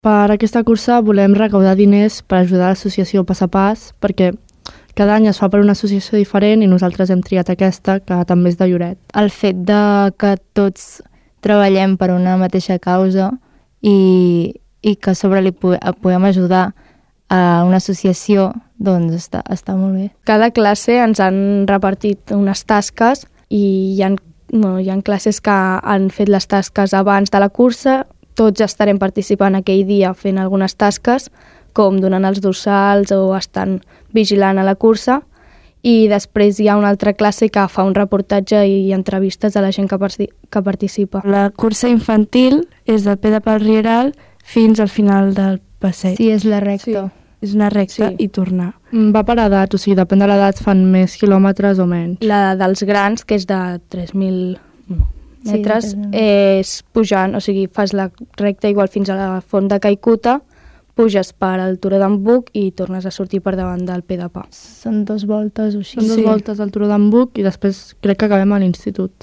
Per aquesta cursa volem recaudar diners per ajudar l'associació Pas a Pas, perquè cada any es fa per una associació diferent i nosaltres hem triat aquesta, que també és de Lloret. El fet de que tots treballem per una mateixa causa i que a sobre li podem ajudar a una associació, doncs està molt bé. Cada classe ens han repartit unes tasques i hi ha classes que han fet les tasques abans de la cursa. Tots estarem participant aquell dia fent algunes tasques, com donant els dorsals o estan vigilant a la cursa, i després hi ha una altra classe que fa un reportatge i entrevistes a la gent que participa. La cursa infantil és del P de Pal Rieral fins al final del passeig. Sí, és la recta. Sí. És una recta i tornar. Va per edat, o sigui, depèn de l'edat, fan més quilòmetres o menys. La dels grans, que és de 3.000 metres, és pujant, o sigui, fas la recta igual fins a la font de Caicuta, puges per al Turó d'en Buc i tornes a sortir per davant del P de Pa. Són 2 voltes o així. Són 2 voltes al Turó d'en Buc i després crec que acabem a l'institut.